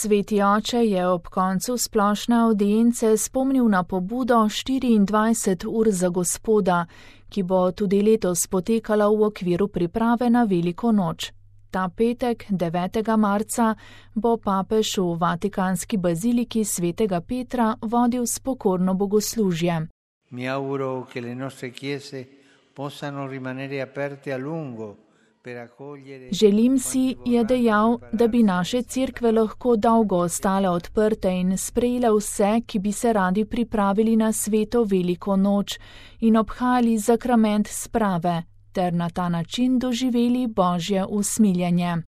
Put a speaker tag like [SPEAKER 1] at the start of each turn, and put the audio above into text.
[SPEAKER 1] Sveti oče je ob koncu splošne avdience spomnil na pobudo 24 ur za Gospoda, ki bo tudi letos potekala v okviru priprave na Veliko noč. Ta petek, 9. marca, bo papež v Vatikanski baziliki svetega Petra vodil spokorno bogoslužje.
[SPEAKER 2] Mi auguro che le nostre chiese possano rimanere aperte a lungo.
[SPEAKER 1] Želim si, je dejal, da bi naše cerkve lahko dolgo ostale odprte in sprejele vse, ki bi se radi pripravili na sveto Veliko noč in obhajali zakrament sprave, ter na ta način doživeli Božje usmiljenje.